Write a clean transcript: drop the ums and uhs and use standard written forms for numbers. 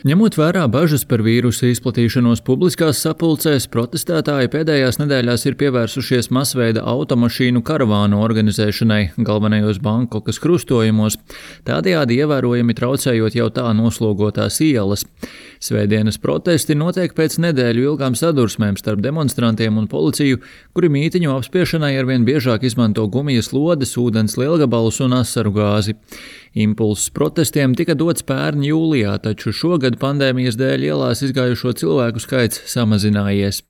Ņemot vērā bažas par vīrusa izplatīšanos publiskās sapulcēs, protestētāji pēdējās nedēļās ir pievērsušies masveida automašīnu karavānu organizēšanai galvenajos Bankokas krustojumos, tādējādi ievērojami traucējot jau tā noslogotās ielas. Svētdienas protesti notiek pēc nedēļu ilgām sadursmēm starp demonstrantiem un policiju, kuri mītiņu apspiešanai arvien biežāk izmanto gumijas lodes, ūdens lielgabalus un asaru gāzi. Impulss protestiem tika dots pērn jūlijā, taču šogad pandēmijas dēļ ielās izgājušo cilvēku skaits samazinājies.